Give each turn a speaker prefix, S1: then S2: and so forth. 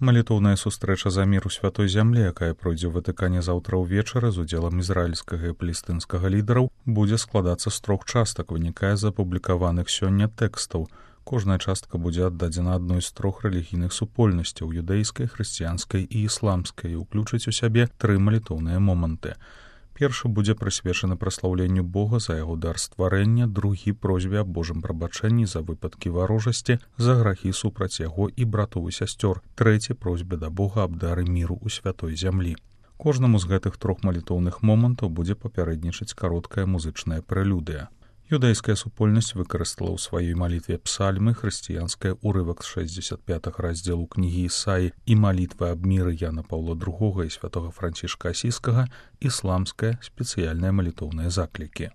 S1: Малітоўная сустрэча за мір у святой зямлі, якая пройдзе ў Ватыкане заўтра ўвечары з удзелам ізраільскага і палестынскага лідараў, будзе складацца з 3 частак, вынікае з апублікаваных сёння тэкстаў. Кожная частка будзе аддадзена адной з 3 рэлігійных супольнасцяў – юдэйскай, хрысціянскай і ісламскай, і ўключыць у сябе 3 малітоўныя моманты. Першы будзе прысвечаны праслаўленню Бога за яго дар стварэння, другі просьбе аб Божым прабачэнні за выпадкі варожасці, за грахі супраць яго і братоў і сясцёр, трэці просьбе да Бога аб дары міру ў святой зямлі. Кожнаму з гэтых 3 малітоўных момантаў будзе папярэднічаць кароткая музычная прэлюдыя. Юдэйская супольнасць выкарыстала ў сваёй малітве псальмы, хрысціянская урывак з 65 раздзелу кнігі Ісаі і малітва аб міры Яна Паўла II і святога Францішка Асійскага, ісламская спецыяльныя малітоўныя заклікі.